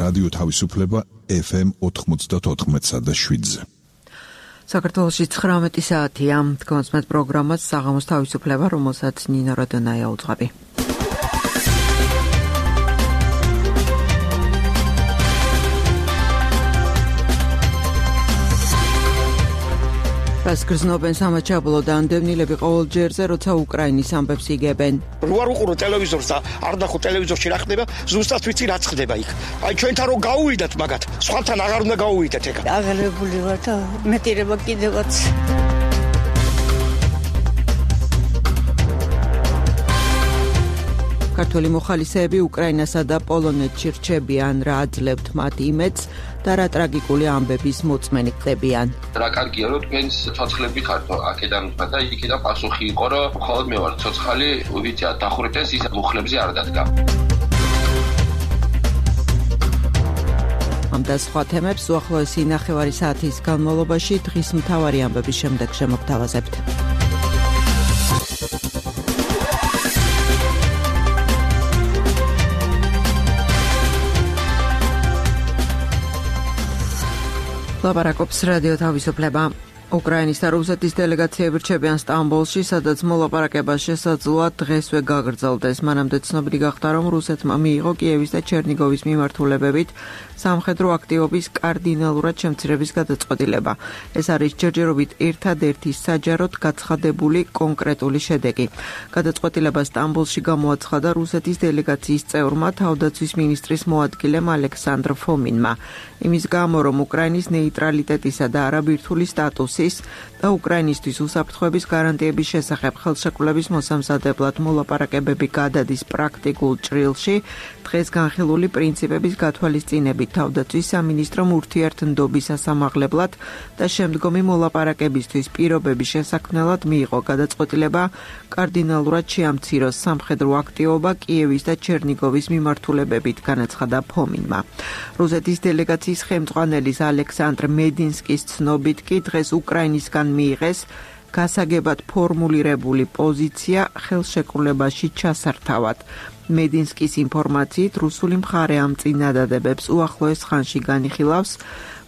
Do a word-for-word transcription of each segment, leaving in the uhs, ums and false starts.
რადიო თავისუფლება ეფ ემ ოთხმოცდაოთხ და შვიდზე. საქართველოში ცხრამეტი საათია. თქვენს პროგრამას საღამოს თავისუფლება, რომელსაც ნინო როდონაია უძღვები. რას გრძნობენ სამაჩაბლო და ამდევნილები ყოველ ჯერზე, როცა უკრაინის ამბებს იგებენ. რო არ უყურო ტელევიზორს და არ ნახო ტელევიზორში რა ხდება, ზუსტად ვიცი რაც ხდება იქ. აი ჩვენთან რო გაუვიდათ მაგათ, სხვათან აღარ უნდა გაუვიდეთ ეგ. აღელებული ვარ და მეტირება კიდევაც. ქართველი მოხალისეები უკრაინასა და პოლონეთში რჩებიან, რა აძლევთ მათ იმედს და რა ტრაგიკული ამბების მოწმენი ხდებიან. რა კარგია რომ თქვენს ცოცხლები ხართ აქედან და იქიდან პასუხი იყო რომ მხოლოდ მე ვარ ცოცხალი, ვიცი დახურეთენს ის მუხლებზე არ დადგა. ამ და სხვა თემებს უახლოესი ნახევარი საათის განმავლობაში დღის მთავარი ამბების შემდეგ შემოგთავაზებთ. ლაპარაკობს რადიო თავისუფლება. უკრაინის და რუსეთის დელეგაციები რჩებიან სტამბოლში, სადაც მოლაპარაკება შესაძლოა დღესვე გაგრძელდეს. მანამდე ცნობილი გახდა, რომ რუსეთმა მიიღო კიევის და ჩერნიგოვის მიმართულებებით სამხედრო აქტივობის კარდინალურად შემცირების გადაწყვეტილება. ეს არის ჯერჯერობით ერთადერთი საჯაროდ გაცხადებული კონკრეტული შედეგი. გადაწყვეტილება სტამბოლში გამოაცხადა რუსეთის დელეგაციის წევრმა, თავდაცვის მინისტრის მოადგილემ ალექსანდრ ფომინმა. იმის გამო, რომ უკრაინის ნეიტრალიტეტისა და არაბირთული სტატუსის და უკრაინისთვის უსაფრთხოების გარანტიების შესახებ ხელშეკრულების მოსამზადებლად მოლაპარაკებები გადადის პრაქტიკულ ჭრილში, დღეს განხილული პრინციპების გათვალისწინებით თავდაცვის სამინისტრომ ურთიერთმდობის სასამაღლებლად და შემდგომი მოლაპარაკებისთვის პირობების შესაქმნელად მიიღო გადაწყვეტილება კარდინალურად შეამციროს სამხედრო აქტივობა კიევის და ჩერნიგოვის მიმართულებებით, განაცხადა ფომინმა. რუსეთის დელეგაციის ხელმძღვანელის ალექსანდრ მედინსკის ცნობით კი დღეს უკრაინისგან მიიღეს გასაგებად ფორმულირებული პოზიცია ხელშეკრულებაში ჩასართავად. მედინსკის ინფორმაციით რუსული მხარე ამ წინადადებებს უახლოეს ხანში განიხილავს,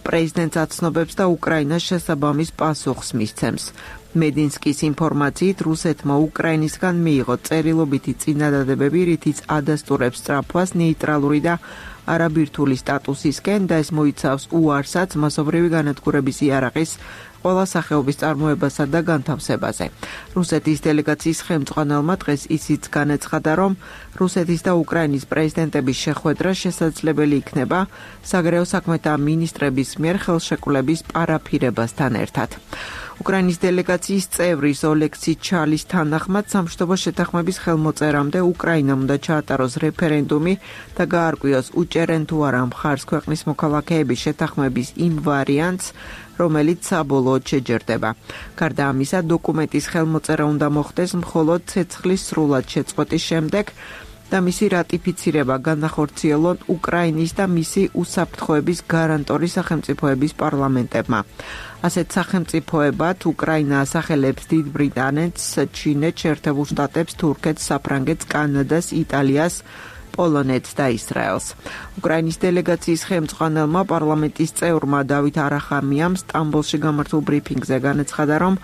პრეზიდენტს აცნობებს და უკრაინას შესაბამის პასუხს მისცემს. მედინსკის ინფორმაციით რუსეთმა უკრაინისგან მიიღო წერილობითი წინადადებები, რითიც ადასტურებს სწრაფვას ნეიტრალური და არაბირთული სტატუსისკენ და ეს მოიცავს უარსაც მასობრივი განადგურების იარაღის ყველა სახეობის წარმოებასა და განთავსებაზე. რუსეთის დელეგაციის ხელმძღვანელმა დღეს ისიც განაცხადა, რომ რუსეთის და უკრაინის პრეზიდენტების შეხვედრა შესაძლებელი იქნება საგარეო საქმეთა მინისტრების მიერ ხელშეკრულების პარაფირებასთან ერთად. უკრაინის დელეგაციის წევრის ოლექსი ჩალის თანახმად სამშვიდობო შეთანხმების ხელმოწერამდე უკრაინამ უნდა ჩაატაროს რეფერენდუმი და გაარკვიოს უჭერენ თუ არა მხარს ქვეყნის მოქალაქეების შეთანხმების იმ ვარიანტს, რომელიც საბოლოოდ შეჯერდება. გარდა ამისა, დოკუმენტის ხელმოწერა უნდა მოხდეს მხოლოდ ცეცხლის სრულად შეწყვეტის შემდეგ და მისი რატიფიცირება განახორციელონ უკრაინის და მისი უსაფრთხოების გარანტორი სახელმწიფოების პარლამენტებმა. ასეთ სახელმწიფოებად უკრაინა ასახელებს დიდ ბრიტანეთს, ჩინეთს, შეერთებულ შტატებს, თურქეთს, საფრანგეთს, კანადას, იტალიას, პოლონეთს და ისრაელს. უკრაინის დელეგაციის ხელმძღვანელმა პარლამენტის წევრმა დავით არახამიამ სტამბოლში გამართულ ბრიფინგზე განაცხადა, რომ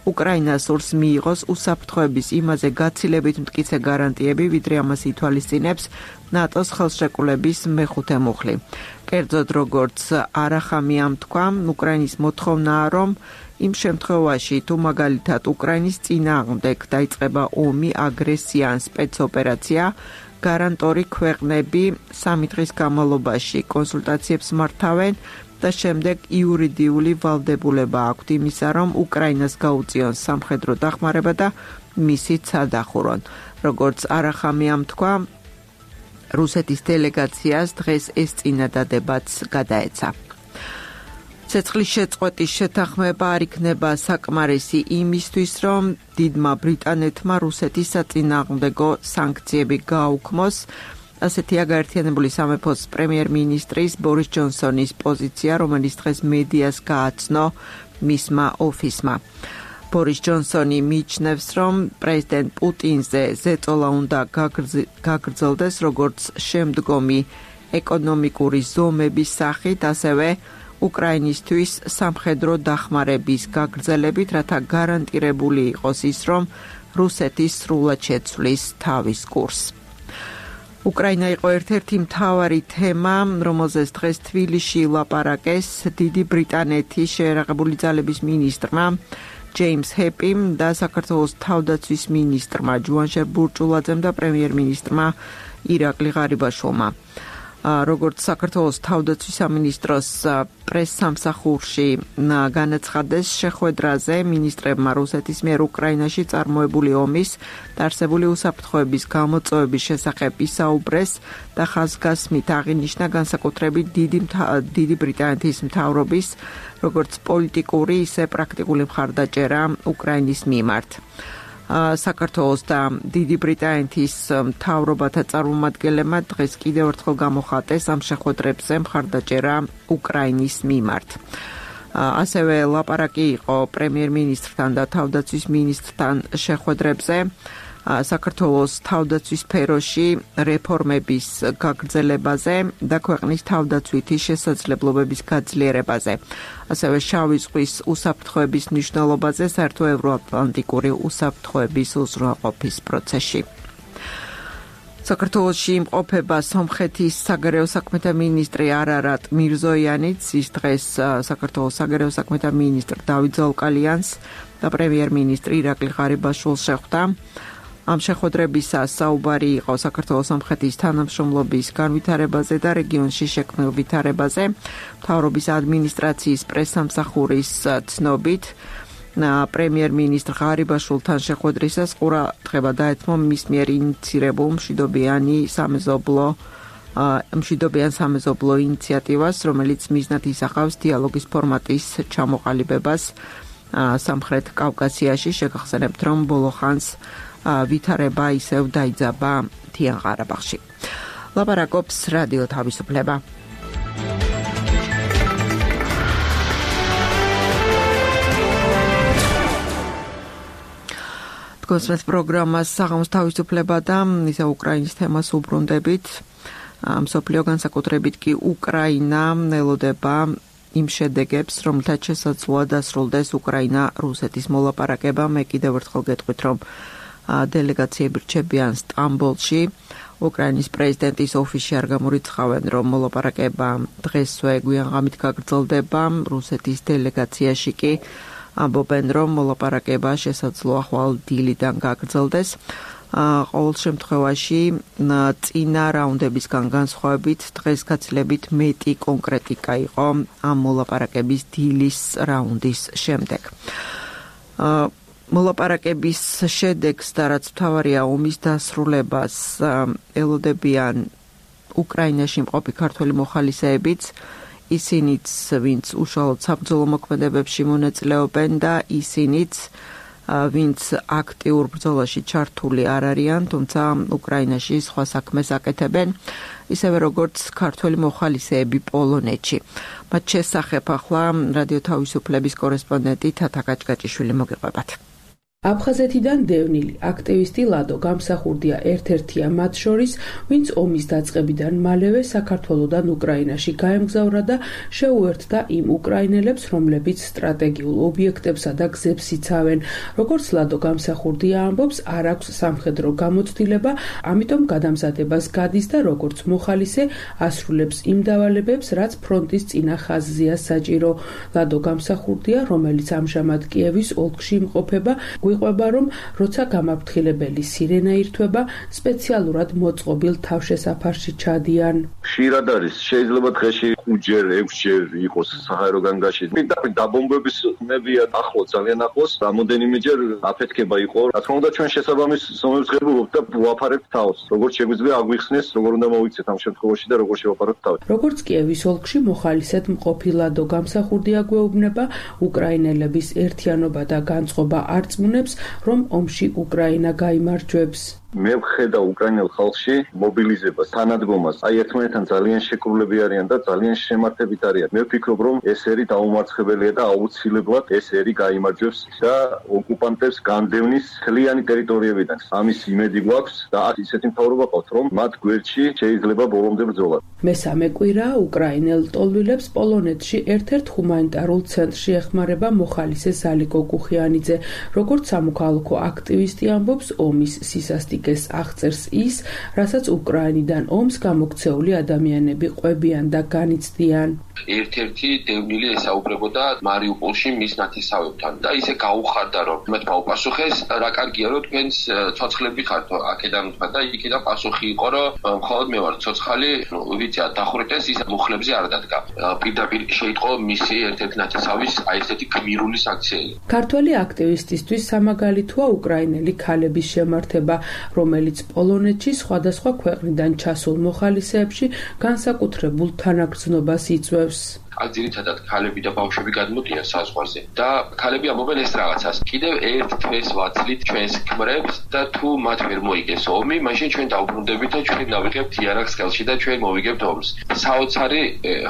უკრაინა სურს მიიღოს უსაფრთხოების იმაზე გაცილებით მტკიცე გარანტიები, ვიდრე ამას ითვალისწინებს ნატოს ხელშეკრულების მეხუთე მუხლი. კერძოდ, როგორც არახამიამ თქვა, უკრაინის მოთხოვნაა, რომ იმ შემთხვევაში, თუ მაგალითად უკრაინის წინააღმდეგ დაიწყება ომი, აგრესია ან სპეცოპერაცია, გარანტორი ქვეყნები სამი დღის განმავლობაში კონსულტაციებს მართავენ და შემდეგ იურიდიული ვალდებულება აქვთ იმისა, რომ უკრაინას გაუწიონ სამხედრო დახმარება და მისით სადახურონ. როგორც არახამიამ თქვა, რუსეთის დელეგაციას დღეს ეს წინადადებაც გადაეცა. ცეცხლის შეწყვეტის შეთანხმება არ იქნება საკმარისი იმისთვის, რომ დიდმა ბრიტანეთმა რუსეთის საწინააღმდეგო სანქციები გააუქმოს. ასეთია გაერთიანებული სამეფოს პრემიერ-მინისტრის ბორის ჯონსონის პოზიცია, რომელიც დღეს მედიას გააცნო მისმა ოფისმა. ბორის ჯონსონი მიიჩნევს, რომ პრეზიდენტ პუტინზე ზეწოლა უნდა გაგრძელდეს როგორც შემდგომი ეკონომიკური ზომების სახით, ასევე უკრაინისთვის სამხედრო დახმარების გაგრძელებით, რათა გარანტირებული იყოს ის, რომ რუსეთი სრულად შეცვლის თავის კურსს. უკრაინა იყო ერთ-ერთი მთავარი თემა, რომელზეც დღეს თბილისში ლაპარაკეს დიდი ბრიტანეთის შეერაღებული ძალების მინისტრმა ჯეიმს ჰეპიმ და საქართველოს თავდაცვის მინისტრმა ჯუანშერ ბურჭულაძემ და პრემიერ-მინისტრმა ირაკლი ღარიბაშვილმა. როგორც საქართველოს თავდაცვის სამინისტროს პრესსამსახურში განაცხადეს, შეხვედრაზე მინისტრებმა რუსეთის მიერ უკრაინაში წარმოებული ომის და არსებული უსაფრთხოების გამოწვევების შესახებ ისაუბრეს და ხაზგასმით აღინიშნა განსაკუთრებით დიდი, დიდი ბრიტანეთის მთავრობის როგორც პოლიტიკური, ისე პრაქტიკული მხარდაჭერა უკრაინის მიმართ. საქართველოს და დიდი ბრიტანეთის მთავრობათა წარმომადგენლებმა დღეს კიდევ ერთხელ გამოხატეს ამ შეხვედრებზე მხარდაჭერა უკრაინის მიმართ. ასევე ლაპარაკი იყო პრემიერ-მინისტრთან და თავდაცვის მინისტრთან შეხვედრებზე საქართველოს თავდაცვის სფეროში რეფორმების გაგრძელებაზე და ქვეყნის თავდაცვითი შესაძლებლობების გაძლიერებაზე. ასევე შავი ზღვის უსაფრთხოების მნიშვნელობაზე საერთო ევროატლანტიკური უსაფრთხოების უზრუნველყოფის პროცესში. საქართველოში იმყოფება სომხეთის საგარეო საქმეთა მინისტრი არარატ მირზოიანიც, ის დღეს საქართველოს საგარეო საქმეთა მინისტრ დავით ზაუკალიანს და პრემიერ-მინისტრი ირაკლი ღარიბაშვილს შეხვდა. ამ შეხვედრებისას საუბარი იყო საქართველოს სომხეთის თანამშრომლობის განვითარებაზე და რეგიონში შექმნილ ვითარებაზე. მთავრობის ადმინისტრაციის პრესსამსახურის ცნობით, პრემიერ-მინისტრ ღარიბაშვილთან შეხვედრისას ყურადღება დაეთმო მის მიერ ინიცირებულ მშვიდობიანი სამეზობლო მშვიდობიან სამეზობლო ინიციატივას, რომელიც მიზნად ისახავს დიალოგის ფორმატის ჩამოყალიბებას სამხრეთ კავკასიაში. შეგახსენებთ, რომ ბოლო ხანს ვითარება ისევ დაიძაბა მთიან ყარაბაღში. ლაპარაკობს რადიო თავისუფლება. გოსმეთ პროგრამას საღამოს თავისუფლება და ისე უკრაინის თემას უბრუნდებით. მსოფლიო განსაკუთრებით კი უკრაინა ელოდება იმ შედეგებს, რომელთაც შესაძლოა დასრულდეს უკრაინა-რუსეთის მოლაპარაკება. მე კიდევ ერთხელ გეტყვით, რომ დელეგაციები რჩებიან სტამბოლში. უკრაინის პრეზიდენტის ოფისში არ გამორიცხავენ, რომ მოლაპარაკება დღესვე გვიანღამით გაგრძელდება. რუსეთის დელეგაციაში კი ამბობენ, რომ მოლაპარაკება შესაძლოა ხვალ დილიდან გაგრძელდეს. ყოველ შემთხვევაში წინა რაუნდებისგან განსხვავებით დღეს გაცილებით მეტი კონკრეტიკა იყო ამ მოლაპარაკების დილის რაუნდის შემდეგ. მოლაპარაკების შედეგს და რაც მთავარია ომის დასრულებას ელოდებიან უკრაინაში მყოფი ქართველი მოხალისეებიც, ისინიც ვინც უშუალოდ საბრძოლო მოქმედებებში მონაწილეობენ და ისინიც ვინც აქტიურ ბრძოლაში ჩართული არ არიან, თუმცა უკრაინაში სხვა საქმეს აკეთებენ, ისევე როგორც ქართველი მოხალისეები პოლონეთში. მათ შესახებ ახლა რადიო თავისუფლების კორესპონდენტი თათა კაჭკაჭიშვილი მოგიყვებათ. აფხაზეთიდან დევნილი აქტივისტი ლადო გამსახურდია ერთ-ერთია მათ შორის, ვინც ომის დაწყებიდან მალევე საქართველოდან უკრაინაში გაემგზავრა და შეუერთდა იმ უკრაინელებს, რომლებიც სტრატეგიულ ობიექტებსა და გზებს იცავენ. როგორც ლადო გამსახურდია ამბობს, არ აქვს სამხედრო გამოცდილება, ამიტომ გადამზადებას გადის და როგორც მოხალისე ასრულებს იმ დავალებებს, რაც ფრონტის წინა ხაზზეა საჭირო. ლადო გამსახურდია, რომელიც ამჟამად კიევის ოლქში იმყოფება, გვიყვება, რომ როცა გამაფრთხილებელი სირენა ირთვება, სპეციალურად მოწყობილ თავშესაფარში ჩადიან. ხშირად არის, შეიძლება დღეში ხუთჯერ, ექვსჯერ იყოს საჰაერო განგაში. დაბომბების ხმებია ახლო, ძალიან ახლოს, რამოდენიმეჯერ აფეთქება იყო. რა თქმა უნდა, ჩვენ შესაბამის ზომებს ღებულობთ და ვაფარებთ თავს. როგორც შეგვიძლია აგვიხსნეს, როგორ უნდა მოვიცეთ ამ შემთხვევაში და როგორ შევაფაროთ თავს. როგორც კიევის ოლქში მოხალისედ მყოფი ლადო გამსახურდია გვეუბნება, უკრაინელების ერთიანობა და განწყობა არწმუნებს, რომ ომში უკრაინა გაიმარჯვებს. მე ვხედავ უკრაინელ ხალხში მობილიზებას, თანადგომას. აი ერთმანეთთან ძალიან შეკრულები არიან და ძალიან შემართებით არიან. მე ვფიქრობ, რომ ეს ერი დაუმარცხებელია და აუცილებლად ეს ერი გაიმარჯვებს და ოკუპანტებს განდევნის მთლიანი ტერიტორიებიდან. ამის იმედი გვაქვს და ისეთი მთავრობა ყავთ, რომ მათ გვერდში შეიძლება ბოლომდე ბრძოლა. მესამე კვირა უკრაინელ ტოლვილებს პოლონეთში ერთ-ერთ ჰუმანიტარულ ცენტრში ეხმარება მოხალისე ზალიკო კუხიანიძე. როგორც სამოქალაქო აქტივისტი ამბობს, ომის სისასტიკეს აღწერს ის, რასაც უკრაინიდან ომს გამოქცეული ადამიანები ყვებიან და განიცდიან. ერთ-ერთი დევნილი ესაუბრებოდა მარიუპოლში მის ნათესავებთან და ისე გაუხარდა, რომ მათ გაუპასუხეს, რა კარგია, რომ თქვენს ცოცხლები ხართ აქედან თქვა და იქიდან პასუხი იყო, რომ მხოლოდ მე ვარ ცოცხალი, ვიცი, დახურეთ ის მუხლებზე არ დადგა. პირდაპირ შეიტყო მისი ერთ-ერთი ნათესავის აი ესეთი გმირული საქციელი. ქართველი აქტივისტისთვის სამაგალითოა უკრაინელი ქალების შემართება, რომელიც პოლონეთში სხვადასხვა ქვეყნიდან ჩასულ მოხალისეებში განსაკუთრებულ თანაგრძნობას იწვევს. აქ ძირითადად ქალები და ბავშვები გადმოდიან საზღვარზე და ქალები ამბობენ ეს რაღაცას. კიდევ ერთ თვეს ვაცლით ჩვენს ქმრებს და თუ მათ ვერ მოიგეს ომი, მაშინ ჩვენ დავბრუნდებით და ჩვენ დავიღებთ იარაღს ხელში და ჩვენ მოვიგებთ ომს. საოცარი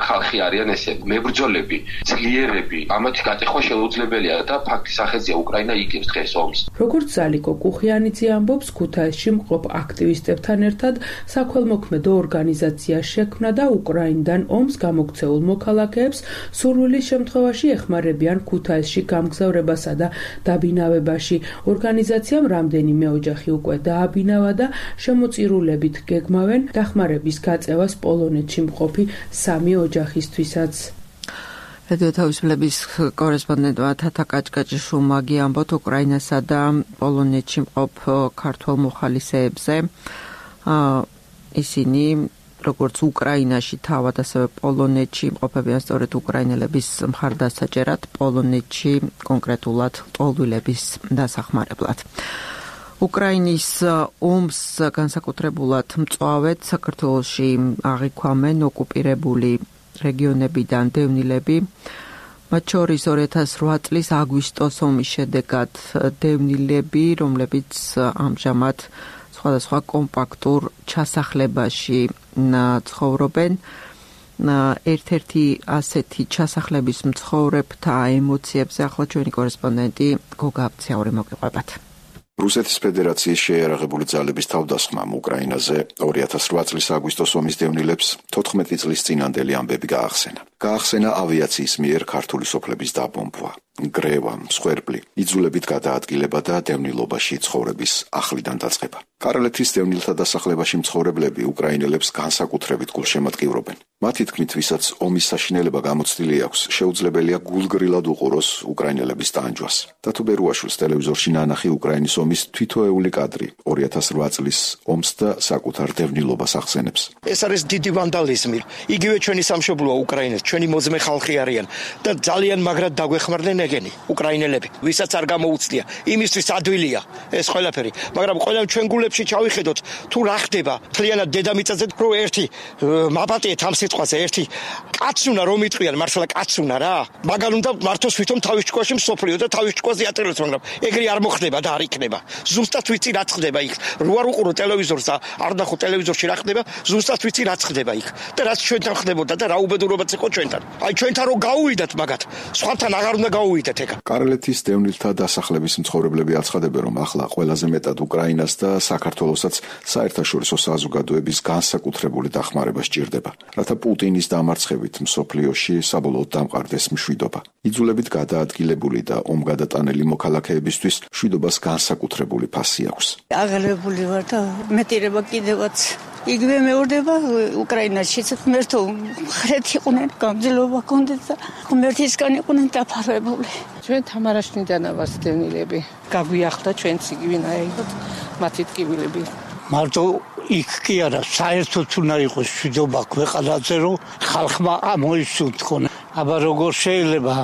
ხალხი არიან ესე, მებრძოლები, ძლიერები, ამათი გატეხვა შეუძლებელია და ფაქტის სახეზია უკრაინა იგებს დღეს ომს. როგორც ზალიკო კუხიანიძე ამბობს, ქუთაისში მყოფ აქტივისტებთან ერთად საქველმოქმედო ორგანიზაცია შექმნა და უკრაინიდან ომს გამოქცეულ მოქალაქეებს სურვილის შემთხვევაში ეხმარებიან ქუთაისში გამგზავრებასა და დაბინავებაში. ორგანიზაციამ რამდენიმე ოჯახი უკვე დააბინავა და შემოწირულებით გეგმავენ დახმარების გაწევას პოლონეთში მყოფი სამი ოჯახისთვისაც. რადიო თავისუფლების კორესპონდენტმა თათა კაჭკაჭიშვილმა ამბობთ უკრაინასა და პოლონეთში მყოფ ქართველ მოხალისეებზე. ისინი როგორც უკრაინაში თავად, ასევე პოლონეთში იმყოფებიან სწორედ უკრაინელების მხარდასაჭერად, პოლონეთში კონკრეტულად ტოლვილების დასახმარებლად. უკრაინის ომს განსაკუთრებულად მწვავედ საქართველოში აღიქვამენ ოკუპირებული რეგიონებიდან დევნილები. მათ შორის ორი ათას რვა წლის აგვისტოს ომის შედეგად დევნილები, რომლებიც ამჟამად სხვადასხვა კომპაქტურ ჩასახლებაში ცხოვრობენ. ერთ-ერთი ასეთი ჩასახლების მცხოვრებთა ემოციებზე ახლა ჩვენი კორესპონდენტი გოგა აბცაური მოგიყვებათ. რუსეთის ფედერაციის შეიარაღებული ძალების თავდასხმამ უკრაინაზე ორი ათას რვა წლის აგვისტოს ომის დევნილებს თოთხმეტი წლის წინანდელი ამბები გაახსენა. გაახსენა ავიაციის მიერ ქართული სოფლების დაბომბვა, გრევა, მსხვერპლი, იძულებით გადაადგილება და დევნილობაში ცხოვრების ახლიდან დაწყება. კარალეთის დევნილთა დასახლებაში მცხოვრებლები უკრაინელებს განსაკუთრებით გულშემატკივრობენ. მათი თქმით, ვისაც ომის საშინელება გამოცდილი აქვს, შეუძლებელია გულგრილად უყუროს უკრაინელების ტანჯვას. დათო ბერუაშვილს ტელევიზორში ნანახი უკრაინის ომის თვითოეული კადრი ორი ათას რვა წლის ომს და საკუთარ დევნილობას ახსენებს. ეს არის დიდი ვანდალიზმი. იგივე ჩვენი სამშობლოა უკრაინა, ჩვენი მოძმე ხალხი არიან და ძალიან მაგრად დაგვეხმარდნენ ეგენი უკრაინელები, ვისაც არ გამოუცდია. იმისთვის ადვილია ეს ყველაფერი, მაგრამ ყველა ჩვენ გულებში ჩავიხედოთ თუ რა ხდება მთლიანად დედამიწაზე, რომ ერთი მაპატიეთ ამ სიტყვაზე, ერთი კაც უნდა რომ იტყვიან, მართლა კაც უნდა რა. მაგალ უნდა მართოს ვითომ თავის ჭკუაში მსოფლიო და თავის ჭკუაზე ატირებს, მაგრამ ეგრე არ მოხდება და არ იქნება. ზუსტად ვიცი რა ხდება იქ. რო არ უყურო ტელევიზორს და არ ნახო ტელევიზორში რა ხდება, ზუსტად ვიცი რა ხდება იქ. და რაც ჩვენთან ხდებოდა და რა უბედურობაც იყო ჩვენთან. აი ჩვენთან რო გაუვიდათ მაგათ, სხვათან აღარ უნდა გაუვიდათ ეგა. კარალეთის დევნილთა დასახლების მცხოვრებლები აცხადებენ, რომ ახლა ყველაზე მეტად უკრაინას და საქართველოსაც საერთაშორისო საზოგადოების განსაკუთრებული დახმარება სჭირდება, რათა პუტინის დამარცხებით მსოფლიოში საბოლოოდ დამყარდეს მშვიდობა. იძულებით გადაადგილებული და ომგადატანელი მოქალაქეებისთვის მშვიდობას განსაკუთრებული ფასი აქვს. აღელვებული ვარ და მეტირება კიდევაც იგივე მეორდება უკრაინაში. ღმერთო, ხრეთი იყვნენ, გამძლეობა გქონდეთ და ღმერთისგან იყვნენ დაფარვებული. ჩვენ თამარაშნიდანა ვართ დევნილები. გაგვიახდა ჩვენც იგივენა აიღოთ მათი ტკივილები. მარტო იქ კი არა, საერთოდ უნდა იყოს მშვიდობა ქვეყანაზე, რომ ხალხმა ამოისუნთქონ. აბა როგორ შეიძლება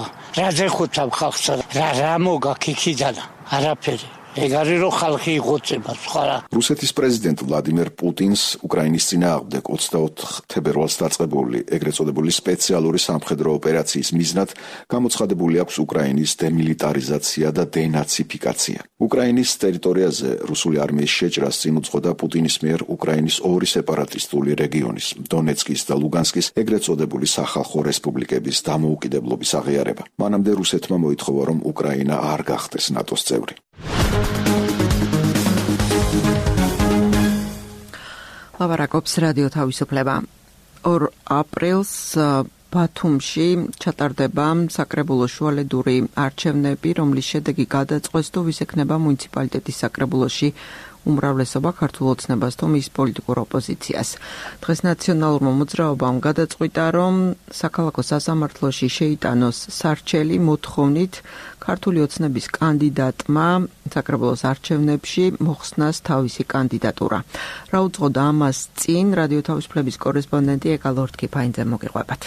რაზე ხუთავ ხალხს, რა რა მოგაქ იქიდან არაფერი. ეგ არის რომ ხალხი იღოცება სხვა რა. რუსეთის პრეზიდენტ ვლადიმერ პუტინს უკრაინის წინააღმდეგ ოცდაოთხ თებერვალს დაწყებული ეგრეთ წოდებული სპეციალური სამხედრო ოპერაციის მიზნად გამოცხადებული აქვს უკრაინის დემილიტარიზაცია და დენაციფიკაცია. უკრაინის ტერიტორიაზე რუსული არმიის შეჭრას წინ უძღოდა პუტინის მიერ უკრაინის ორი სეპარატისტული რეგიონის, დონეცკის და ლუგანსკის ეგრეთ წოდებული სახალხო რესპუბლიკების დამოუკიდებლობის აღიარება. მანამდე რუსეთმა მოითხოვა, რომ უკრაინა არ გახდეს ნატოს წევრი. ლაპარაკობს რადიო თავისუფლება. ორ აპრილს ბათუმში ჩატარდება საკრებულოს შუალედური არჩევნები, რომლის შედეგი გადაწყვეტს თუ ვის ექნება მუნიციპალიტეტის საკრებულოში უმრავლესობა ქართულ ოცნებას თუ მის პოლიტიკურ ოპოზიციას. დღეს ნაციონალურმა მოძრაობამ გადაწყვიტა, რომ საქალაქო სასამართლოში შეიტანოს სარჩელი მოთხოვნით ქართული ოცნების კანდიდატმა საკრებულოს არჩევნებში მოხსნას თავისი კანდიდატურა. რა უძღოდა ამას წინ რადიო თავისუფლების კორესპონდენტი ეკალორთკი ფაინძე მოგიყვებათ.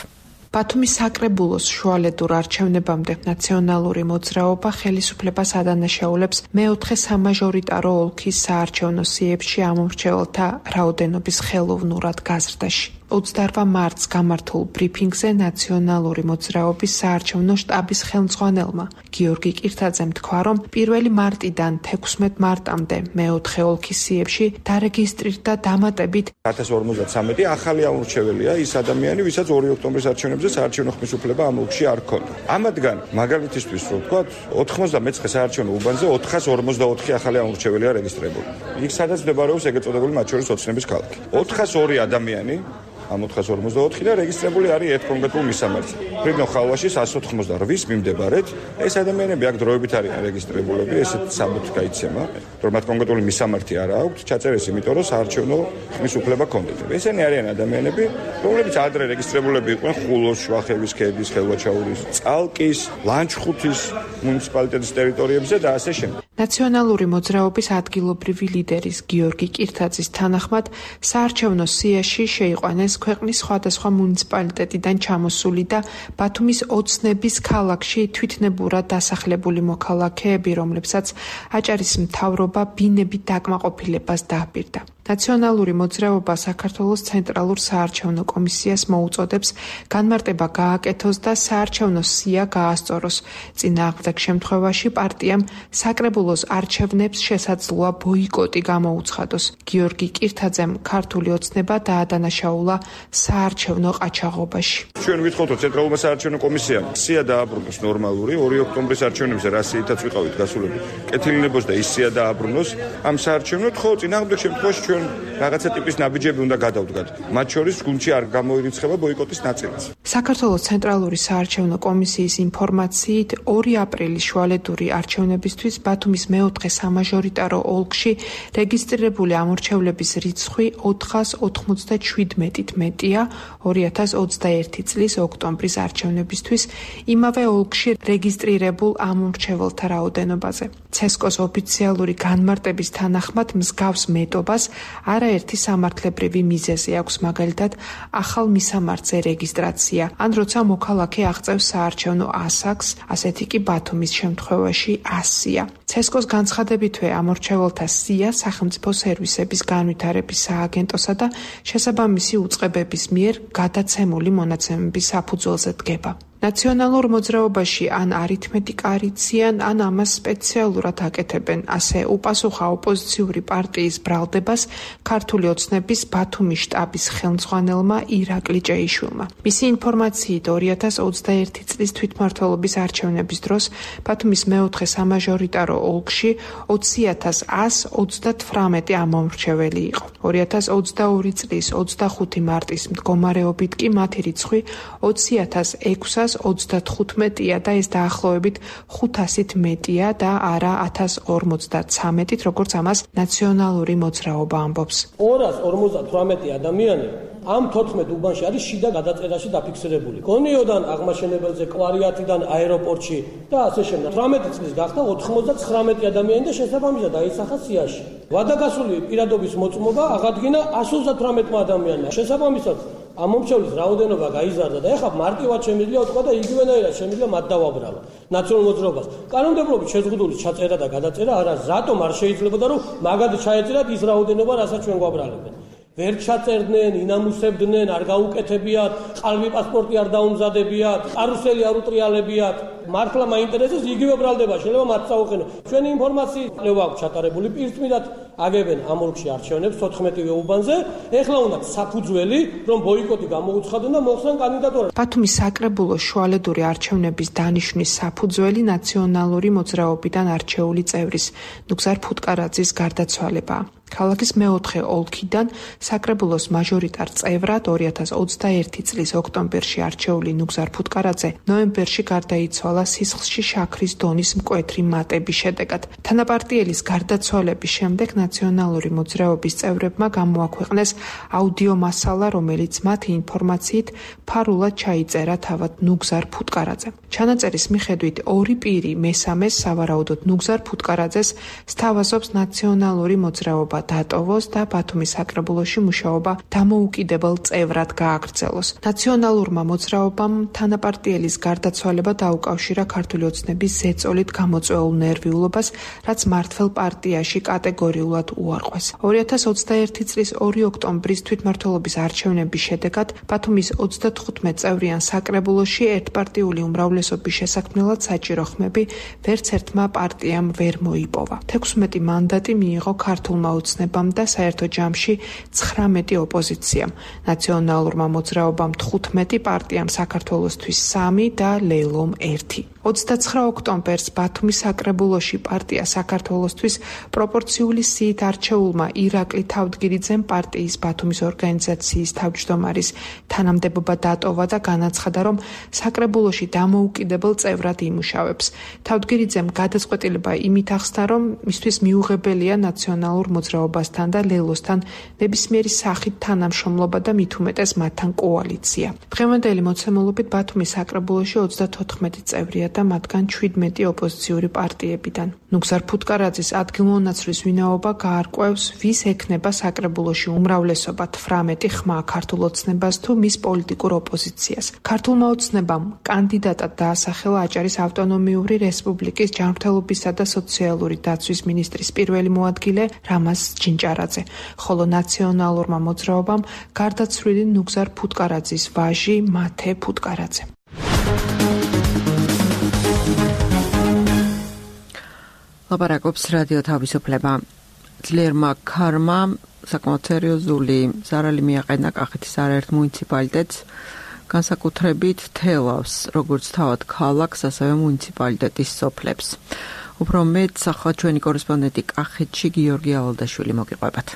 ბათუმის საკრებულოს შუალედურ არჩევნებამდე ნაციონალური მოძრაობა ხელისუფლებას ადანაშაულებს მეოთხე სამაჟორიტარო ოლქის საარჩევნო სიებში ამომრჩეველთა რაოდენობის ხელოვნურად გაზრდაში. ოცდაორ მარტს გამართულ ბრიფინგზე ნაციონალური მოძრაობის საარჩევნო შტაბის ხელმძღვანელმა გიორგი კირთაძემ თქვა, რომ პირველი მარტიდან თექვსმეტ მარტამდე მეოთხე ოლქის სიებში დარეგისტრირდა დამატებით ათას ორმოცდათრამეტი ახალი ამორჩეველია ის ადამიანი, ვისაც ორი ოქტომბრის არჩევნებზე საარჩევნო ხმის უფლება ამ ოლქში არ ჰქონდა. ამათგან მაგალითისთვის რო ვთქვათ, ოთხმოცდამეცხრე საარჩევნო უბანზე ოთხას ორმოცდაოთხი ახალი ამორჩეველია რეგისტრირებული. იქ სადაც მდებარეობს ეგრეთ წოდებული მათ შორის ოცნების ქალაქი. ოთხას ორი ადამიანი ამ ოთხას ორმოცდაოთხი და რეგისტრირებული არის ერთ კონკრეტულ მისამართზე. ფრიდნო ხალვაშის εκατს ოთხმოცდაორს მიმდებარედ ეს ადამიანები აქ დროებით არიან რეგისტრირებულები, ესეთ საბუთი გაიცემა, რომ მათ კონკრეტული მისამართი არ აქვთ, ჩაწერეს იმიტომ, რომ საარჩევნო ხმის უფლება ჰქონდეთ. ესენი არიან ადამიანები, რომლებიც ადრე რეგისტრირებულები იყვნენ ხულოს, შვახევის ქედის, ხელვაჩაურის, წალკის, ლანჩხუთის მუნიციპალიტეტის ტერიტორიებზე და ასე შემდეგ. ნაციონალური მოძრაობის ადგილობრივი ლიდერის გიორგი კირთაძის თანახმად საარჩევნო სიაში შეიყვანეს ქვეყნის სხვადასხვა მუნიციპალიტეტიდან ჩამოსული და ბათუმის ოცნების ქალაქში თვითნებურად დასახლებული მოქალაქეები, რომლებსაც აჭარის მთავრობა ბინებით დაკმაყოფილებას დააპირდა. ნაციონალური მოძრაობა საქართველოს ცენტრალურ საარჩევნო კომისიას მოუწოდებს განმარტება გააკეთოს და საარჩევნო სია გაასწოროს. წინააღმდეგ შემთხვევაში პარტიამ საკრებულოს არჩევნებს შესაძლოა ბოიკოტი გამოუცხადოს. გიორგი კირთაძემ ქართული ოცნება დაადანაშაულა საარჩევნო ყაჩაღობაში. ჩვენ ვითხოვთ ცენტრალურმა საარჩევნო კომისიამ სია დააბრუნოს ნორმალური ორი ოქტომბრის არჩევნებზე რა სიითაც ვიყავით გასულები. კეთილინებოს და ის სია დააბრუნოს ამ საარჩევნოდ, ხო წინააღმდეგ შემთხვევაში ჩვენ რაღაცა ტიპის ნაბიჯები უნდა გადავდგათ. მათ შორის გუნდში არ გამოირიცხება ბოიკოტის ნაწილიც. საქართველოს ცენტრალური საარჩევნო კომისიის ინფორმაციით ორი აპრილის შუალედური არჩევნებისთვის ბათუმის მეოთხე სამაჟორიტარო ოლქში რეგისტრირებული ამორჩევლების რიცხვი ოთხას ოთხმოცდაშვიდმეტით მეტია ორი ათას ოცდაერთი წლის ოქტომბრის არჩევნებისთვის იმავე ოლქში რეგისტრირებულ ამორჩეველთა რაოდენობაზე. ცესკოს ოფიციალური განმარტების თანახმად მსგავს მეტობას არაერთი სამართლებრივი მიზეზი აქვს, მაგალითად ახალ მისამართზე რეგისტრაცია, ან როცა მოქალაქე აღწევს საარჩევნო ასაკს, ასეთი კი ბათუმის შემთხვევაში ასია. ცესკოს განცხადებითვე ამორჩეველთა სია სახელმწიფო სერვისების განვითარების სააგენტოსა და შესაბამისი უწყებების მიერ გადაცემული მონაცემების საფუძველზე დგება. ნაციონალურ მოძრაობაში ან არითმეტიკა არიციან, ან ამას სპეციალურად აკეთებენ. ასე უპასუხა ოპოზიციური პარტიის ბრალდებას ქართული ოცნების ბათუმის შტაბის ხელმძღვანელმა ირაკლი ჭეიშვილმა. მისი ინფორმაციით ორი ათას ოცდაერთი წლის თვითმმართველობის არჩევნების დროს ბათუმის მეოთხე სამაჟორიტარო ოლქში ოცი ათას ასს ოცდათვრამეტი ამომრჩეველი იყო. ორი ათას ოცდაორი წლის ოცდახუთი მარტის მდგომარეობით კი მათი რიცხვი ოცი ათას ექვსას ოცდათხუთმეტია და ეს დაახლოებით ხუთასით მეტია და არა ათას ორმოცდათრამეტით, როგორც ამას ნაციონალური მოძრაობა ამბობს. ორას ორმოცდათვრამეტი ადამიანი ამ თოთხმეტ უბანში არის შიდა გადაწერაში დაფიქსირებული. გონიოდან აღმაშენებელზე, კვარიათიდან აეროპორტში და ასე შემდეგ. თვრამეტი წლის გახდა ოთხმოცდაცხრამეტი ადამიანი და შესაბამისად დაისახა სიაში. ვადაგასული პირადობის მოწმობა აღადგინა ასოცდათვრამეტმა ადამიანმა. შესაბამისად ამ მომრჩევლის რაოდენობა გაიზარდა და ეხლა მარტივად შემიძლია უთქვა და იგივენაირად შემიძლია მათ დავაბრალო ნაციონალურ მოძრაობას. კანონმდებლობით შეზღუდული ჩაწერა და გადაწერა არა რატომ არ შეიძლებოდა რომ მაგად ჩაეწერათ ის რაოდენობა რასაც ჩვენ გვაბრალებენ. ვერ ჩაწერდნენ, ინამუსებდნენ, არ გაუკეთებიათ, ყალბი პასპორტი არ დაუმზადებიათ, კარუსელი არ უტრიალებიათ. მართლა მაინტერესებს იგივე ბრალდება, შეიძლება მათ წაუყენო. ჩვენი ინფორმაციით კვლევა აქვს ჩატარებული, პირდაპირად აგებენ ამ ოლქში არჩევნებს თოთხმეტივე უბანზე. ეხლა უნდა საფუძველი, რომ ბოიკოტი გამოუცხადონ და მოხსნან კანდიდატურა. ბათუმის საკრებულოს შუალედური არჩევნების დანიშვნის საფუძველი ნაციონალური მოძრაობიდან არჩეული წევრის ნუგზარ ფუტკარაძის გარდაცვალებაა. ქალაქის მეოთხე ოლქიდან საკრებულოს მაჟორიტარ წევრად ორი ათას ოცდაერთი წლის ოქტომბერში არჩეული ნუგზარ ფუტკარაძე ნოემბერში გარდაიცვალა სისხლში შაქრის დონის მკვეთრი მატების შედეგად. თანაპარტიელის გარდაცვალების შემდეგ ნაციონალური მოძრაობის წევრებმა გამოაქვეყნეს აუდიო მასალა, რომელიც მათი ინფორმაციით ფარულად ჩაიწერა თავად ნუგზარ ფუტკარაძემ. ჩანაწერის მიხედვით ორი პირი მესამეს სავარაუდოდ ნუგზარ ფუტკარაძეს სთავაზობს ნაციონალური მოძრაობა დატოვოს და ბათუმის საკრებულოში მუშაობა დამოუკიდებელ წევრად გააგრძელოს. ნაციონალურმა მოძრაობამ თანაპარტიელის გარდაცვალება დაუკავშირა ქართული ოცნების ზეწოლით გამოწვეულ ნერვიულობას, რაც მართველ პარტიაში კატეგორიულად უარყვეს. ორი ათას ოცდაერთი წლის ორი ოქტომბრის თვითმმართველობის არჩევნების შედეგად ბათუმის ოცდათხუთმეტ წევრიან საკრებულოში ერთპარტიული უმრავლესობის შესაქმნელად საჭირო ხმები ვერც ერთმა პარტიამ ვერ მოიპოვა. თექვსმეტი მანდატი მიიღო ქართულმა ოცნებამ და საერთო ჯამში ცხრამეტი ოპოზიციამ. ნაციონალურმა მოძრაობამ თხუთმეტი, პარტიამ საქართველოსთვის სამი და ლეილომ ერთი. ოცდაცხრა ოქტომბერს ბათუმის საკრებულოში პარტია საქართველოსთვის პროპორციული სიით არჩეულმა ირაკლი თავდგირიძემ პარტიის ბათუმის ორგანიზაციის თავმჯდომარის თანამდებობა დატოვა და განაცხადა, რომ საკრებულოში დამოუკიდებელ წევრად იმუშავებს. თავდგირიძემ გადაწყვეტილება იმით ახსნა, რომ მისთვის მიუღებელია ნაციონალურ მოძრაობასთან და ლელოსთან ნებისმიერი სახით თანამშრომლობა და მით უმეტეს მათთან კოალიცია. დღევანდელი მოცემულობით ბათუმის საკრებულოში ოცდათოთხმეტი წევრია და მათგან შვიდმეტი ოპოზიციური პარტიებიდან. ნუგზარ ფუტკარაძის ადგილმონაცვლის ვინაობა გაარკვევს, ვის ექნება საკრებულოში უმრავლესობა თვრამეტი ხმა ქართულ ოცნებას თუ მის პოლიტიკურ ოპოზიციას. ქართულმა ოცნებამ კანდიდატად დაასახელა აჭარის ავტონომიური რესპუბლიკის ჯანმრთელობისა და სოციალური დაცვის მინისტრის პირველი მოადგილე რამაზ ჯინჭარაძე, ხოლო ნაციონალურმა მოძრაობამ გარდაცვლილი ნუგზარ ფუტკარაძის ვაჟი მათე ფუტკარაძე. ლაპარაკობს რადიო თავისუფლება. ძლიერმა ქარმა საკმაოდ სერიოზული ზარალი მიაყენა კახეთის არაერთ მუნიციპალიტეტს, განსაკუთრებით თელავს, როგორც თავად ქალაქს, ასევე მუნიციპალიტეტის სოფლებს. უფრო მეტ ახლა ჩვენი კორესპონდენტი კახეთში გიორგი ავალდაშვილი მოგიყვებათ.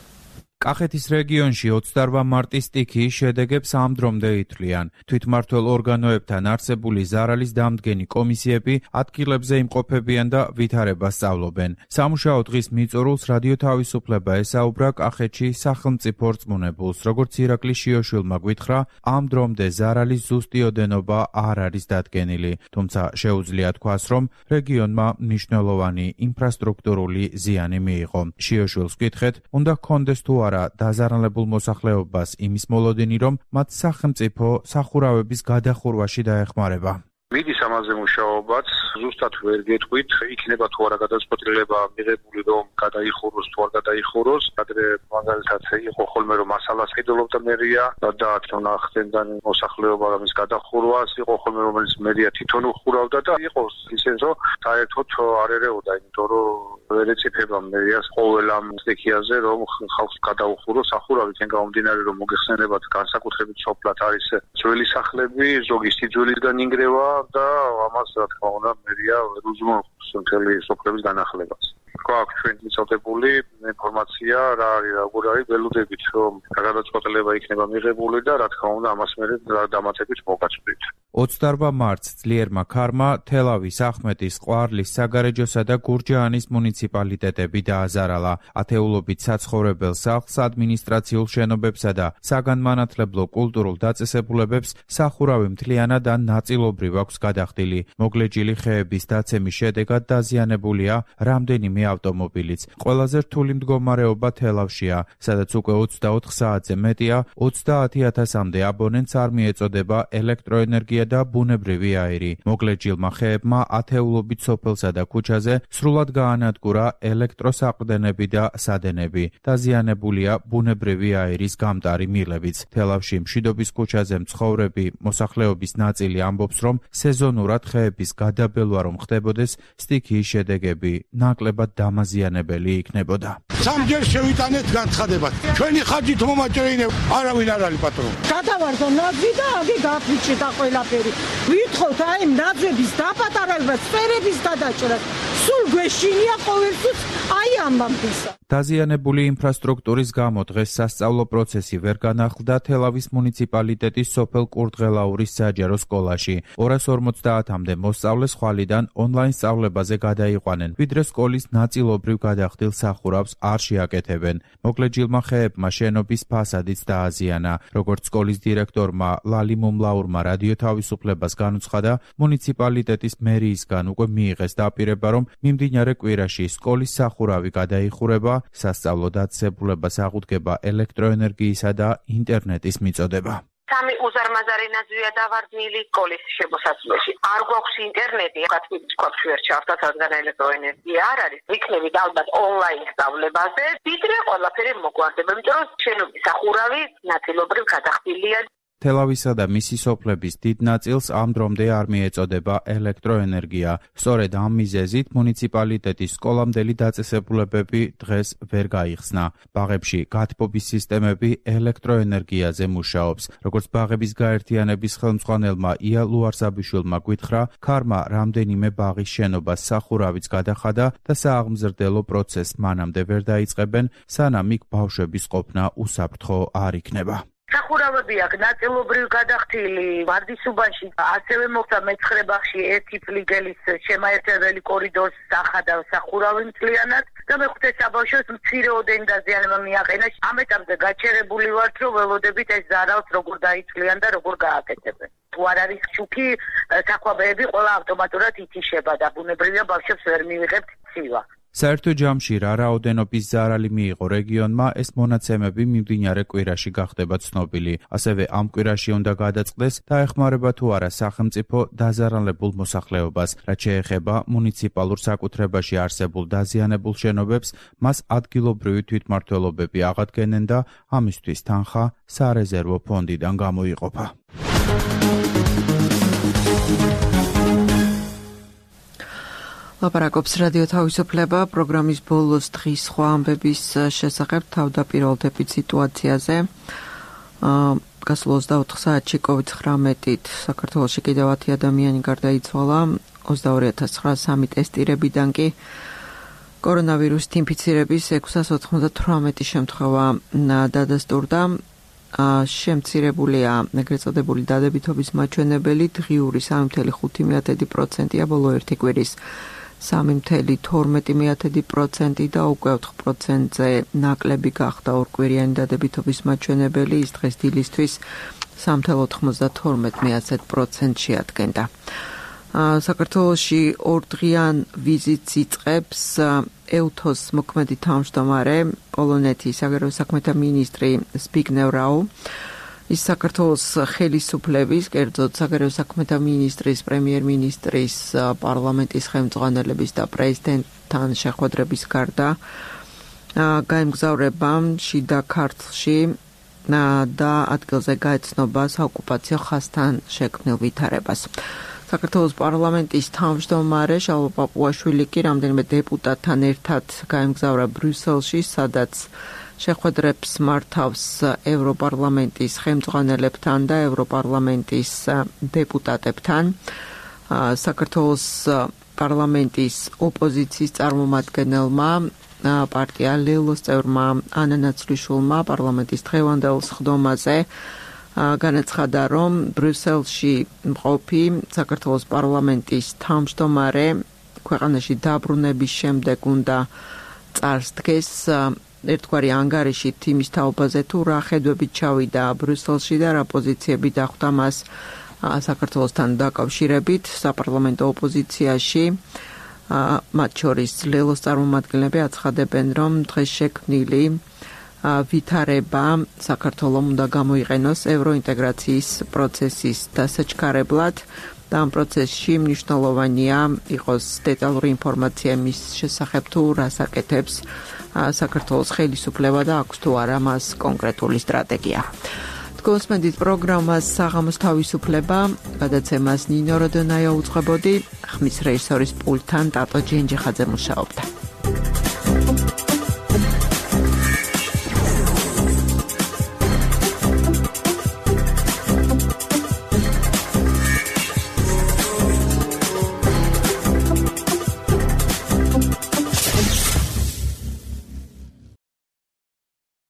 კახეთის რეგიონში ოცდაორმა მარტის სტიქიის შედეგებს ამ დრომდე ითვლიან. თვითმმართველ ორგანოებთან არსებული ზარალის დამდგენი კომისიები ადგილებზე იმყოფებიან და ვითარებას სწავლობენ. სამუშაო დღის მიწურულს რადიო თავისუფლება ესაუბრა კახეთში სახელმწიფო რწმუნებულს, როგორც ირაკლი შიოშვილმა გვითხრა, ამ დრომდე ზარალის ზუსტი ოდენობა არ არის დადგენილი, თუმცა შეუძლია თქვას, რომ რეგიონმა მნიშვნელოვანი ინფრასტრუქტურული ზიანი მიიღო. შიოშვილს გითხრეთ, უნდა ჰქონდეს თუ დაზარალებულ მოსახლეობას იმის მოლოდინი, რომ მათ სახელმწიფო სახურავების გადახურვაში დაეხმარება. მიდის ამაზე მუშაობაც, ზუსტად ვერ გეტყვით, იქნება თუ არა გადაწყვეტილება მიღებული, რომ გადაიხუროს თუ არ გადაიხუროს. ადრე მაგალითად იყო ხოლმე, რომ მასალას ყიდულობდა მერია და თვითონ ახდენდა მოსახლეობა ამის გადახურვას, იყო ხოლმე, რომელიც მერია თვითონ უხურავდა და იყო ისე, რომ საერთოდ არ ერეოდა, იმიტომ რომ ვერ ეწიფება მერიას ყოველ ამ სტიქიაზე, რომ ხალხს გადაუხუროს სახურავით. ან გამომდინარე, რომ მოგეხსენებათ, განსაკუთრებით სოფლად არის ძველი სახლები, ზოგი სიძველისგან ინგრევა და ამას რა თქმა უნდა მერია უზრუნველყოფს მთელი სოფლების განახლებას. გვაქვს ჩვენ მიწოდებული ინფორმაცია რა არის, როგორ არის, ველოდებით რომ გადაწყვეტილება იქნება მიღებული და რა თქმა უნდა ამას მე დამატებით მოგაწვდით. ოცდაორმა მარტს ძლიერმა ქარმა თელავის, ახმეტის, ყვარლის, საგარეჯოსა და გურჯაანის მუნიციპალიტეტები დააზარალა. ათეულობით საცხოვრებელ სახლს, ადმინისტრაციულ შენობებსა და საგანმანათლებლო კულტურულ დაწესებულებებს სახურავი მთლიანად ან ნაწილობრივ აქვს გადახდილი. მოგლეჯილი ხეების დაცემის შედეგად დაზიანებულია რამდენიმე ავტომობილიც. ყველაზე რთული მდგომარეობა თელავშია, სადაც უკვე ოცდაოთხ საათზე მეტია ოცდაათი ათასამდე აბონენტს არ მიეწოდება ელექტროენერგია და ბუნებრივი აირი. მოკლედ ჯილმა ხეებმა ათეულობით სოფელსა და ქუჩაზე სრულად გაანადგურა ელექტროსაყრდენები და სადენები. დაზიანებულია ბუნებრივი აირის გამტარი მილებიც. თელავში მშვიდობის ქუჩაზე მცხოვრები მოსახლეობის ნაწილი ამბობს, რომ სეზონურად ხეების გადაბელვა რომ ხდებოდეს, სტიქიის შედეგები ნაკლებად დამაზიანებელი იქნებოდა. სამჯერ შევიტანეთ განცხადებად. ჩვენი ხარჯით მომაჭრეინე არავინ არ არის პატრონი. გადავარდო ნაძვი და აგი გაფიჭდა ყველაფერი. ვითხოვთ აი ნაძვების დაპატარება, სფერების გადაჭრა. სულ გვეშინია ყოველთვის აი ამბამისა. დაზიანებული ინფრასტრუქტურის გამო დღეს სასწავლო პროცესი ვერ განახლდა თელავის მუნიციპალიტეტის სოფელ კურდღელაურის საჯარო სკოლაში. ორას ორმოცდაათამდე მოსწავლე ხვალიდან ონლაინ სწავლებაზე გადაიყვანენ, ვიდრე სკოლის ნაწილობრივ გადახდილ სახურავს არ შეაკეთებენ. მოკლედ ჯილმა ხეებმა შენობის ფასადიც დააზიანა. როგორც სკოლის დირექტორმა ლალი მუმლაურმა რადიო თავისუფლებას განუცხადა, მუნიციპალიტეტის მერიისგან უკვე მიიღეს დაპირება, რომ მიმდინარე კვირაში სკოლის სახურავი გადაიხურება, სასწავლო დაწესებულებას აღუდგება ელექტროენერგიისა და ინტერნეტის მიწოდება. სამი უზარმაზარი ნაძვია დავარდნილი სკოლის შემოსასვლელში. არ გვაქვს ინტერნეტი, გათვლით გვაქვს ვერ ჩავთვათ, რადგან ელექტროენერგია არ არის. ვიქნებით ალბათ ონლაინ სწავლებაზე, ვიდრე ყველაფერი მოგვარდება, იმიტომ რომ შენობის სახურავი ნაწილობრივ გადახდილია. თელავისა და მისი სოფლების დიდ ნაწილს ამ დრომდე არ მიეწოდება ელექტროენერგია. სწორედ ამ მიზეზით მუნიციპალიტეტის სკოლამდელი დაწესებულებები დღეს ვერ გაიხსნა. ბაღებში გათბობის სისტემები ელექტროენერგიაზე მუშაობს. როგორც ბაღების გაერთიანების ხელმძღვანელმა ია ლუარსაბიშვილმა გვითხრა, ქარმა რამდენიმე ბაღის შენობას სახურავიც გადახადა და სააღმზრდელო პროცესს მანამდე ვერ დაიწყებენ, სანამ იქ ბავშვების ყოფნა უსაფრთხო არ იქნება. სახურავები აქ ნაწილობრივ გადახდილი ვარდისუბანში, ასევე მოხდა მეცხრე ბაღში ერთი ფლიგელის შემაერთებელი კორიდორის სახადა სახურავი მთლიანად და მეხუთე საბავშვოს მცირე ოდენი დაზიანება მიაყენა. ამ ეტაპზე გაჩერებული ვართ, რომ ველოდებით ეს ზარალს როგორ დაიცვლიან და როგორ გააკეთებენ. თუ არ არის ჩუქი, საქვაბეები ყველა ავტომატურად ითიშება და ბუნებრივია ბავშვებს ვერ მივიღებთ ცივა. საერთო ჯამში რა რაოდენობის ზარალი მიიღო რეგიონმა, ეს მონაცემები მიმდინარე კვირაში გახდება ცნობილი. ასევე ამ კვირაში უნდა გადაწყდეს დაეხმარება თუ არა სახელმწიფო დაზარალებულ მოსახლეობას. რაც შეეხება მუნიციპალურ საკუთრებაში არსებულ დაზიანებულ შენობებს, მას ადგილობრივი თვითმმართველობები აღადგენენ და ამისთვის თანხა სარეზერვო ფონდიდან გამოიყოფა. ლაპარაკობს რადიო თავისუფლება პროგრამის ბოლოს დღის სხვა ამბების შესახებ თავდაპირველდებით სიტუაციაზე. გასულ ოცდაოთხ საათში კოვიდ ცხრამეტით საქართველოში კიდევ ათი ადამიანი გარდაიცვალა, ოცდაორი ათას ცხრაასი ტესტირებიდან კი კორონავირუსით ინფიცირების ექვსას ოთხმოცდათვრამეტი შემთხვევა დადასტურდა. შემცირებულია ეგრეთ წოდებული დადებითობის მაჩვენებელი, დღიური სამი ფاصლე ხუთი პროცენტია, ბოლო ერთი კვირის სამი ფاصლე თორმეტი პროცენტი და უკვე ოთხ პროცენტზე ნაკლები გახდა ორკვირიანი დადებითობის მაჩვენებელი, ის დღეს დილისთვის სამი ფاصლე ოთხმოცდათორმეტი პროცენტს შეადგენდა. საქართველოში ორდღიან ვიზიტს იწყებს ევთოს მოქმედი თავმჯდომარე, პოლონეთის საგარეო საქმეთა მინისტრი ზბიგნევ რაუ. ის საქართველოს ხელისუფლების, კერძოდ საგარეო საქმეთა მინისტრის, პრემიერ-მინისტრის, პარლამენტის ხელმძღვანელების და პრეზიდენტთან შეხვედრების გარდა გაემგზავრება შიდა ქართლში და ადგილზე გაეცნობა საოკუპაციო ხაზთან შექმნილ ვითარებას. საქართველოს პარლამენტის თავმჯდომარე შალვა პაპუაშვილი კი რამდენიმე დეპუტატთან ერთად გაემგზავრა ბრიუსელში, სადაც შეხვედრებს მართავს ევროპარლამენტის ხელმძღვანელებთან და ევროპარლამენტის დეპუტატებთან. საქართველოს პარლამენტის ოპოზიციის წარმომადგენელმა პარტია ლელოს წევრმა ანა ნაცვლიშვილმა პარლამენტის დღევანდელ სხდომაზე განაცხადა, რომ ბრიუსელში მყოფი საქართველოს პარლამენტის თავმჯდომარე ქვეყანაში დაბრუნების შემდეგ უნდა წარსდგეს ერთგვარი ანგარიშით იმის თაობაზე, თუ რა ხედვებით ჩავიდა ბრიუსელში და რა პოზიციები დახვდა მას საქართველოსთან დაკავშირებით საპარლამენტო ოპოზიციაში. მათ შორის ლელოს წარმომადგენლები აცხადებენ, რომ დღეს შექმნილი ვითარება საქართველოს უნდა გამოიყენოს ევროინტეგრაციის პროცესის დასაჩქარებლად და ამ პროცესში მნიშვნელოვანია იყოს დეტალური ინფორმაცია მის შესახებ თუ რას აკეთებს საქართველოს ხელისუფლება და აქვს თუ არა მას კონკრეტული სტრატეგია. გოსმედით პროგრამას საღამოს თავისუფლება, გადაცემას ნინო როდონაია უძღვებოდი, ხმის რეჟისორის პულტთან ტატო ჯენჯიხაძე მუშაობდა.